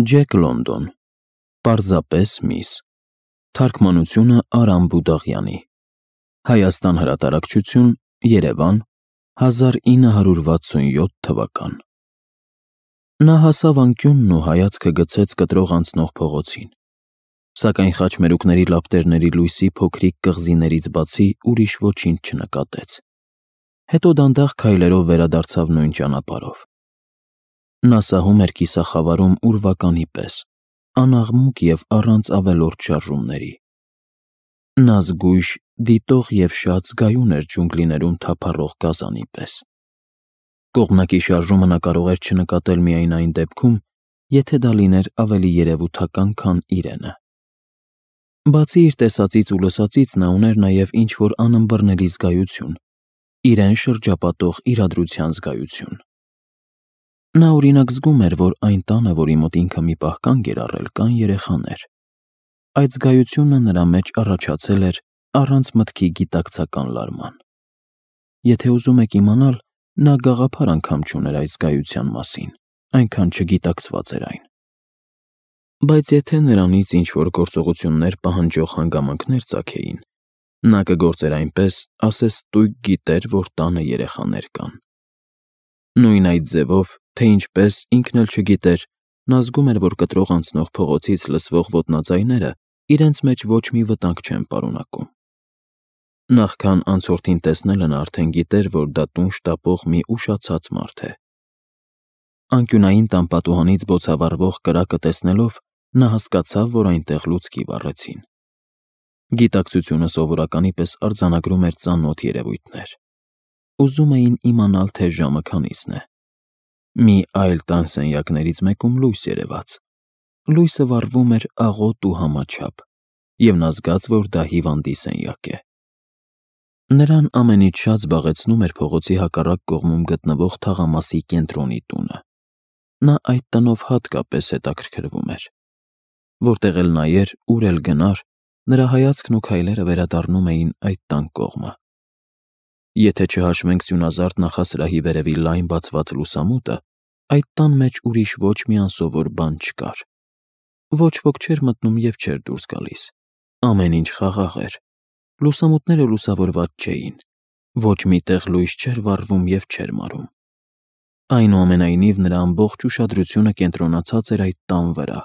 Ջեք Լոնդոն, պարզապես միս, թարգմանությունը Արամ Բուդաղյանի, Հայաստան հրատարակչություն, Երևան, 1967 թվական։ Նա հասավ անկյունն ու հայացքը գցեց կտրող անցնող փողոցին, սակայն խաչմերուկների լապտերների լույսի փոքրիկ կղզիներից բացի ուրիշ ոչինչ չնկատեց։ Հետո դանդաղ քայլերով վերադարձավ նույն ճանապարհով։ Նա սահում էր կիսախավարում ուրվականի պես, անաղմուկ և առանց ավելորդ շարժումների։ Նա զգույշ, դիտող և շատ զգայուն էր ջունգլիներում թափառող գազանի պես։ Կողմնակի շարժումը նա կարող էր չնկատել միայն այն դեպքում, եթե դա լիներ ավելի երևութական, քան իրենը։ Բացի իր տեսածից ու լսածից նա ուներ նաև ինչ-որ անըմբռնելի զգայություն, իրեն շրջապատող իրադրության զգայություն։ Նա օրինակ զգում էր, որ այն տանը, որի մոտ ինքը մի պահ կանգ էր առել, կան երեխաներ։ Այդ զգայությունը նրա մեջ առաջացել էր առանց մտքի գիտակցական լարման։ Եթե ուզում եք իմանալ, նա գաղափար անգամ չուներ այդ զգայության մասին, այնքան չգիտակցված էր այն։ Բայց եթե նրանից ինչ-որ գործողություններ պահանջող հանգամանքներ ծագեին, նա կգործեր այնպես, ասես ստույգ գիտեր, որ տանը երեխաներ կան։ Նույն այդ ձևով, թե ինչպես, ինքն էլ չգիտեր, նա զգում էր, որ կտրող անցնող փողոցից լսվող ոտնաձայները իրենց մեջ ոչ մի վտանգ չեն պարունակում։ Նախքան անցորդին տեսնելը նա արդեն գիտեր, որ դա տուն շտապող մի ուշացած մարդ է։ Անկյունային տան պատուհանից բոցավառվող կրակը տեսնելով, նա հասկացավ, որ այնտեղ լուցկի վառեցին։ Գիտակցությունը սովորականի պես արձանագրում էր ծանոթ երևույթներ։ Ուզում էին իմանալ, թե ժամը քանիսն է։ Մի այլ տան սենյակներից մեկում լույս երևաց։ Լույսը վառվում էր աղոտ ու համաչափ, և նա զգաց, որ դա հիվանդի սենյակ է։ Նրան ամենից շատ զբաղեցնում էր փողոցի հակառակ կողմում գտնվող թաղամասի կենտրոնի տունը։ Նա այդ տնով հատկապես հետաքրքրվում էր։ Որտեղ էլ նայեր, ուր էլ գնար, նրա հայացքն ու քայլերը վերադառնում էին այդ տան կողմը։ Եթե չհաշվենք սյունազարդ նախասրահի վերևի լայն բացված լուսամուտը, այդ տան մեջ ուրիշ ոչ մի անսովոր բան չկար։ Ոչ ոք չէր մտնում և չէր դուրս գալիս։ Ամեն ինչ խաղաղ էր։ Լուսամուտները լուսավորված չէին։ Ոչ մի տեղ լույս չէր վառվում և չէր մարում։ Այնուամենայնիվ, նրա ամբողջ ուշադրությունը կենտրոնացած էր այդ տան վրա։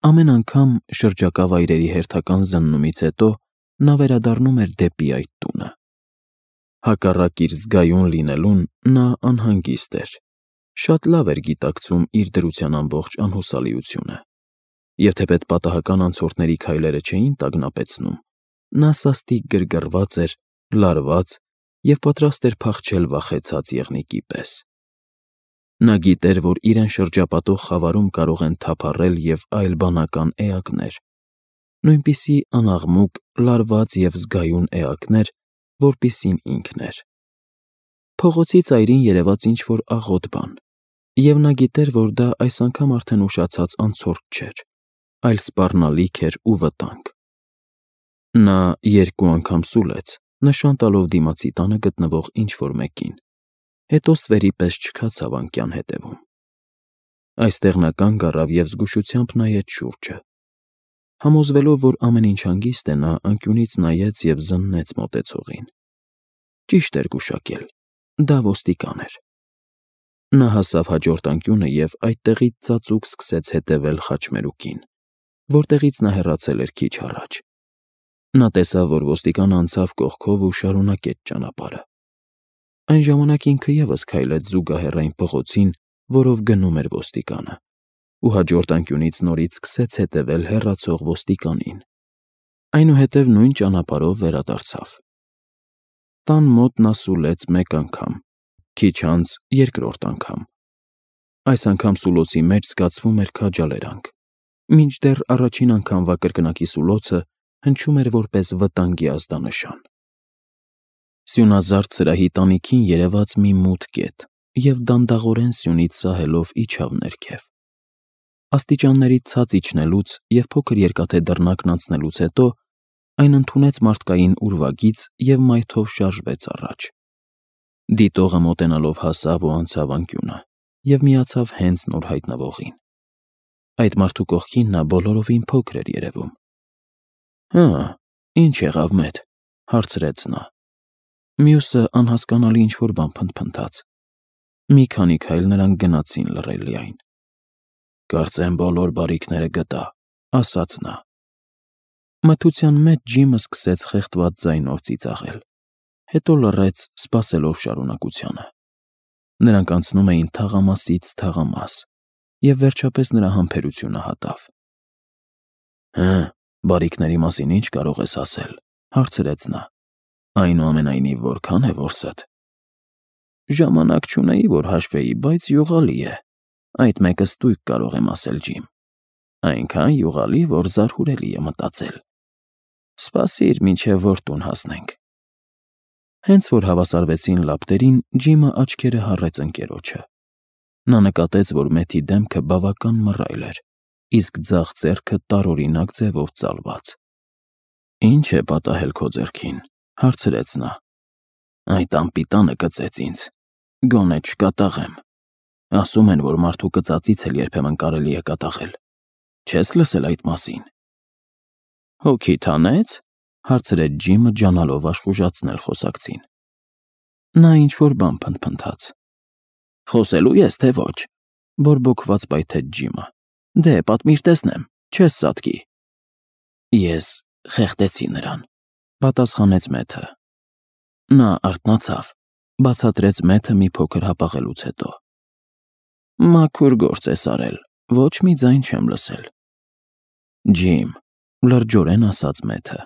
Ամեն անգամ շրջակա վայրերի հերթական զննումից հետո նա վերադառնում էր դեպի այդ տունը։ Հակառակ իր զգայուն լինելուն, նա անհանգիստ էր։ Շատ լավ էր գիտակցում իր դրության ամբողջ անհուսալիությունը։ Եվ թեպետ պատահական անցորդների քայլերը չէին տագնապեցնում, նա սաստիկ գրգռված էր, լարված և պատրաստ էր փախչել վախեցած եղնիկի պես։ Նա գիտեր, որ իրեն շրջապատող խավարում կարող են թափառել և այլ բանական էակներ, նույնպիսի անաղմուկ, լարված և զգայուն էակներ, որպիսին ինքն էր։ Փողոցի ծայրին երևաց ինչ-որ աղոտ բան, և նա գիտեր, որ դա այս անգամ արդեն ուշացած անցորդ չէր, այլ սպառնալիք էր ու վտանգ։ Նա երկու անգամ սուլեց, նշան տալով դիմացի տանը գտնվող ինչ-որ մեկին, հետո ստվերի պես չքացավ անկյան հետևում։ Այստեղ նա կանգ առավ և զգուշությամբ նայեց շուրջը։ Համոզվելով, որ ամեն ինչ հանգիստ է, նա անկյունից նայեց և զննեց մոտեցողին։ Ճիշտ էր գուշակել, դա ոստիկան էր։ Նա հասավ հաջորդ անկյունը և այդտեղից ծածուկ սկսեց հետևել խաչմերուկին, որտեղից նա հեռացել էր քիչ առաջ։ Նա տեսավ, որ ոստիկանը անցավ կողքով ու շարունակեց ճանապարհը։ Այն ժամանակ ինքը ևս քայլեց զուգահեռ այն փողոցին, որով գնում էր ոստիկանը, ու հաջորդ անկյունից նորից սկսեց հետևել հեռացող ոստիկանին։ Այնուհետև նույն ճանապարհով վերադարձավ։ Տան մոտ նա սուլեց մեկ անգամ, քիչ անց երկրորդ անգամ։ Այս անգամ սուլոցի մեջ զգացվում էր քաջալերանք, մինչդեռ առաջին անգամվա կրկնակի սուլոցը հնչում էր որպես վտանգի ազդանշան։ Սյունազարդ սրահի տանիքին երևաց մի մութ կետ և դանդաղորեն սյունից սահելով իջավ ներքև։ Աստիճանների ցած իջնելուց և փոքր երկաթե դռնակն անցնելուց հետո այն ընդունեց մարդկային ուրվագիծ և մայթով շարժվեց առաջ։ Դիտողը մոտենալով հասավ ու անցավ անկյունը և միացավ հենց նոր հայտնվողին։ Այդ մարդու կողքին նա բոլորովին փոքր էր երևում։ «Հա, ինչ եղավ մետ», հարցրեց նա։ Մյուսը անհասկանալի ինչ-որ բան փնթփնթաց։ Մի քանի քայլ նրանք գնացին լռելիայն։ «Կարծեմ բոլոր բարիքները գտա», ասաց նա։ Մթության մեջ Ջիմը սկսեց խեղդված ձայնով ծիծաղել, հետո լռեց, սպասելով շարունակությանը։ Նրանք անցնում էին թաղամասից թաղամաս, և վերջապես նրա համբերությունը հատավ։ Բարիքների մասին ինչ կարող ես ասել, հարցրեց նա։ Այնուամենայնիվ, որքան է որսդ։ Ժամանակ չունեի, որ հաշվեի, բայց յուղալի է։ Այդ մեկը ստույգ կարող եմ ասել, Ջիմ։ Այնքան յուղալի, որ զարհուրելի է մտածել։ Սպասիր, մինչև որ տուն հասնենք։ Հենց որ հավասարվեցին լապտերին, Ջիմը աչքերը հառեց ընկերոջը։ Նա նկատեց, որ Մեթի դեմքը բավական մռայլ էր, իսկ ձախ ձեռքը տարօրինակ ձևով ծալված։ Ինչ է պատահել քո ձեռքին, հարցրեց նա։ Այդ անպիտանը կծեց ինձ։ Գոնե չկատաղեմ։ Ասում են, որ մարդու կծածից էլ երբեմն կարելի է կատաղել։ Չես լսել այդ մասին։ Հոգիդ հանեց, հարցրեց Ջիմը, ջանալով աշխուժացնել խոսակցին։ Նա ինչ-որ բան փնթփնթաց։ Խոսելու ես, թե ոչ, բորբոքված պայթեց Ջիմը։ Դե, պատմիր տեսնեմ, չես սատկի։ Ես խեղդեցի նրան, պատասխանեց Մեթը։ Նա արթնացավ, բացատրեց Մեթը մի փոքր հապաղելուց հետո։ Մաքուր գործ ես արել, ոչ մի ձայն չեմ լսել։ Ջիմ, լրջորեն ասաց Մեթը,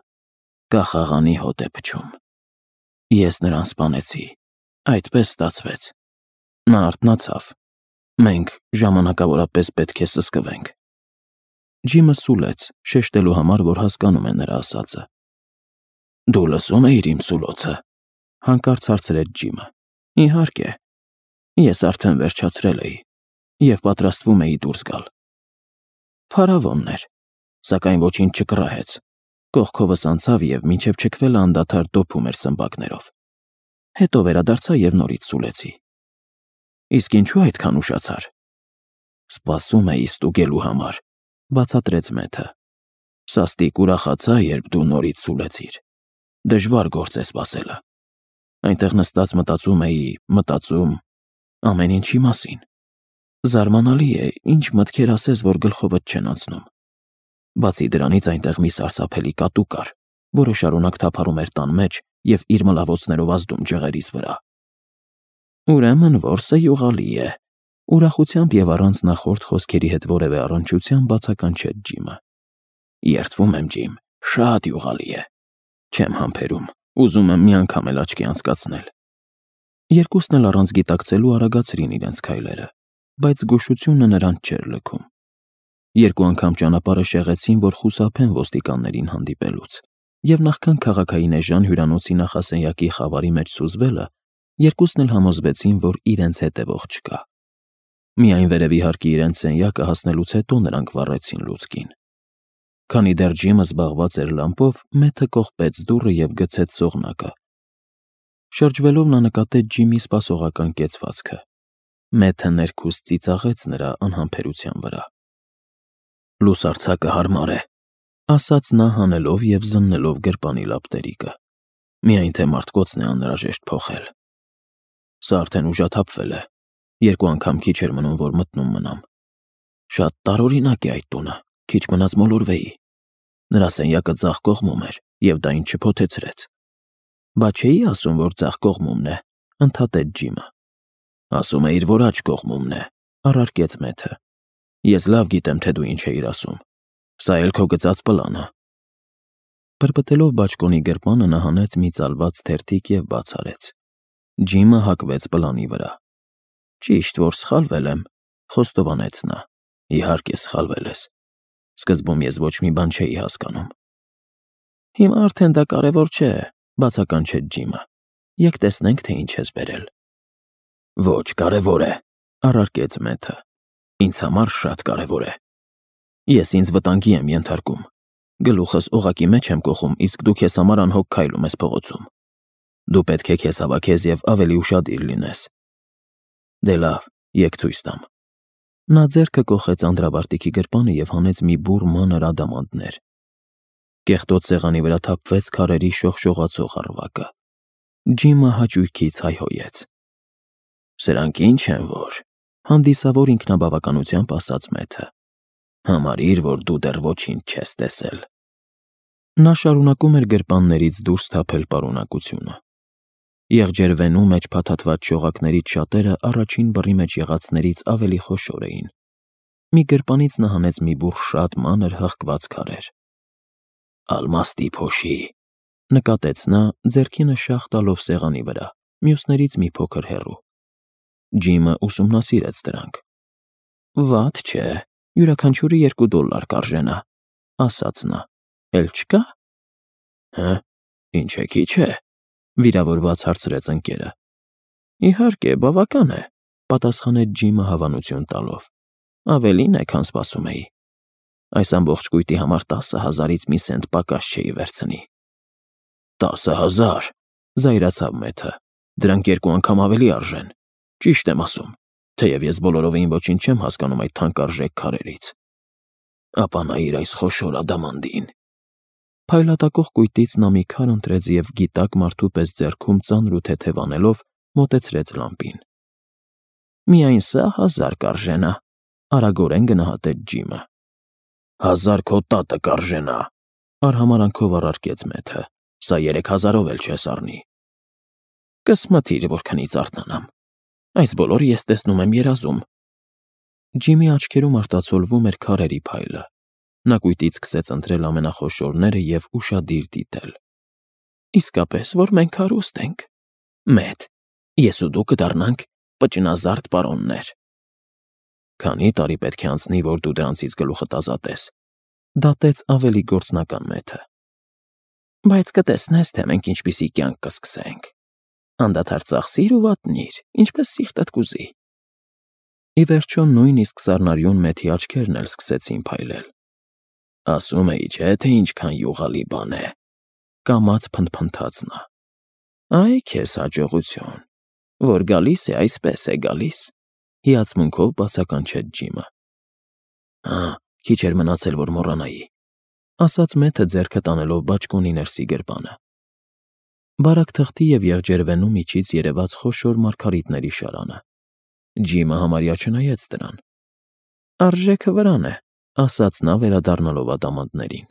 կախաղանի հոտ է փչում։ Ես նրան սպանեցի, այդպես ստացվեց։ Նա արթնացավ։ Մենք ժամանակավորապես պետք է սսկվենք։ Ջիմը սուլեց, շեշտելու համար, որ հասկանում է նրա ասածը։ Դու լսում էիր իմ սուլոցը, հանկարծ հարցրեց Ջիմը։ Իհարկե։ Ես արդեն վերջացրել էի և պատրաստվում էի դուրս գալ։ Փարավոնն էր, սակայն ոչինչ չկռահեց։ Կողքովս անցավ և մինչև չքվելը անդադար դոփում էր սմբակներով։ Հետո վերադարձա և նորից սուլեցի։ Իսկ ինչու այդքան ուշացար։ Սպասում էի ստուգելու համար, բացատրեց Մեթը։ Սաստիկ ուրախացա, երբ դու նորից սուլեցիր։ Դժվար գործ է սպասելը։ Այնտեղ նստած մտածում ամեն ինչի մասին։ Զարմանալի է, ինչ մտքեր ասես, որ գլխովդ չեն անցնում։ Բացի դրանից այնտեղ մի սարսափելի կատու կար, որը շարունակ թափառում էր տան մեջ և իր մլավոցներով ազդում ջղերիս վրա։ Ուրեմն որսը յուղալի է, ուրախությամբ և առանց նախորդ խոսքերի հետ որևէ առնչության բացականչեց Ջիմը։ Երդվում եմ, Ջիմ, շատ յուղալի է։ Չեմ համբերում, ուզում եմ մի անգամ էլ աչքի անցկացնել։ Երկուսն էլ առանց գիտակցելու արագացրին իրենց քայլերը, բայց զգուշությունը նրանց չէր լքում։ Երկու անգամ ճանապարհը շեղեցին, որ խուսափեն ոստիկաններին հանդիպելուց, և նախքան քաղաքային էժան հյուրանոցի նախասենյակի խավարի մեջ սուզվելը, երկուսն էլ համոզվեցին, որ իրենց հետևող չկա։ Միայն վերևի հարկի իրենց սենյակը հասնելուց հետո նրանք վառեցին լուցկին։ Քանի դեռ Ջիմը զբաղված էր լամպով, Մեթը կողպեց դուռը և գցեց սողնակը։ Շրջվելով նա նկատեց Ջիմի սպասողական կեցվածքը։ Մեթը ներքուստ ծիծաղեց նրա անհամբերության վրա։ Լուսարձակը հարմար է, ասաց նա հանելով և զննելով գրպանի լապտերիկը։ Միայն թե մարտկոցն է անհրաժեշտ փոխել։ Սա արդեն ուժաթափվել է։ Երկու անգամ քիչ էր մնում, որ մտնում մնամ։ Շատ տարօրինակ է այդ տունը, քիչ մնաց մոլորվեի։ Նրա սենյակը ձախ կողմում էր, և դա ինձ չփոթեցրեց։ Բա չէի ասում, որ ձախ կողմումն է, ընդհատեց Ջիմը։ Ասում էիր, որ աջ կողմումն է, առարկեց Մեթը։ Ես լավ գիտեմ, թե դու ինչ էիր ասում։ Սա էլ քո գծած պլանը։ Պրպտելով բաճկոնի գրպանը նա հանեց մի ծալված թերթիկ և բաց արեց։ Ջիմը հակվեց պլանի վրա։ Ճիշտ, որ սխալվել եմ, խոստովանեց նա։ Իհարկե սխալվել ես։ Սկզբում ես ոչ մի բան չէի հասկանում։ Հիմա արդեն դա կարևոր չէ, բացականչեց Ջիմը։ Եկ տեսնենք, թե ինչ ես բերել։ Ոչ, կարևոր է, առարկեց Մեթը։ Ինձ համար շատ կարևոր է։ Ես ինձ վտանգի եմ ենթարկում։ Գլուխս օղակի մեջ եմ կոխում, իսկ դու քեզ համար անհոգ քայլում ես փողոցում։ Դու պետք է քեզ հավաքես և ավելի ուշադիր լինես։ Դե լավ, եկ ցույց տամ։ Նա ձեռքը կոխեց անդրավարտիքի գրպանը և հանեց մի բուռ մանր ադամանդներ։ Կեղտոտ սեղանի վրա թափվեց քարերի շողշողացող առվակը։ Ջիմը հաճույքից հայհոյեց։ «Սրանք ինչ են որ», հանդիսավոր ինքնաբավականությամբ ասաց Մեթը։ «Համարիր, որ դու դեռ ոչինչ չես տեսել»։ Նա շարունակում էր գրպաններից դուրս թափել պարունակությունը։ Եղջերվենու մեջ փաթաթված շողակներից շատերը առաջին բռի մեջ եղածներից ավելի խոշոր էին։ Մի գրպանից նա հանեց մի բուռ շատ մանր հղկված քարեր։ «Ալմաստի փոշի», նկատեց նա, ձեռքինը շաղ տալով սեղանի վրա, մյուսներից մի փոքր հեռու։ Ջիմը ուսումնասիրեց դրանք։ «Վատ չէ, յուրաքանչյուրը $2 կարժենա», ասաց նա։ «Էլ չկա»։ «Հը, ինչ է, քիչ է», վիրավորված հարցրեց ընկերը։ «Իհարկե, բավական է», պատասխանեց Ջիմը հավանություն տալով։ «Ավելին է, քան սպասում էի։ Այս ամբողջ կույտի համար 10,000-ից մի սենտ պակաս չէի վերցնի»։ 10,000, զայրացավ Մեթը։ Դրանք 2 անգամ ավելի արժեն։ Ճիշտ եմ ասում, թեև ես բոլորովին ոչինչ չեմ հասկանում այդ թանկարժեք քարերից։ Ապա նայիր այս խոշոր ադամանդին։ Փայլատակող կույտից նա մի քար ընտրեց և գիտակ մարդու պես ձեռքում ծանր ու թեթև անելով մոտեցրեց լամպին։ «Միայն սա 1000 կարժենա», արագորեն գնահատեց Ջիմը։ 1000 քո տատը կարժենա, արհամարանքով առարկեց Մեթը։ Սա 3000-ով էլ չես առնի։ Կսմթիր, որքանից արթնանամ։ Այս բոլորը ես տեսնում եմ երազում։ Ջիմի աչքերում արտացոլվում էր քարերի փայլը։ Նա կույտից սկսեց ընտրել ամենախոշորները և ուշադիր դիտել։ Իսկապես, որ մենք հարուստ ենք։ Մեթ, ես ու դու կդառնանք պճնազարդ պարոններ։ Քանի տարի պետք է անցնի, որ դու դրանցից գլուխդ ազատես, դատեց ավելի գործնական Մեթը։ Բայց կտեսնես, թե մենք ինչպիսի կյանք կսկսենք։ Անդադար ծախսիր ու վատնիր, ինչպես սիրտդ կուզի։ Ի վերջո նույնիսկ սառնարյուն Մեթի աչքերն էլ սկսեցին փայլել։ Ասում էի, չէ՞, թե ինչքան յուղալի բան է, կամաց փնթփնթաց նա։ Այ քեզ հաջողություն, որ գալիս է, այսպես է գալիս, հիացմունքով բացականչեց Ջիմը։ Քիչ էր մնացել, որ մոռանայի, ասաց Մեթը ձեռքը տանելով բաճկոնի ներսի գրպանը։ Բարակ թղթի և եղջերվենու միջից երևաց խոշոր մարգարիտների շարանը։ Ջիմը համարյա չնայեց դրան։ Արժեքը վրան է, ասաց նա վերադառնալով ադամանդներին։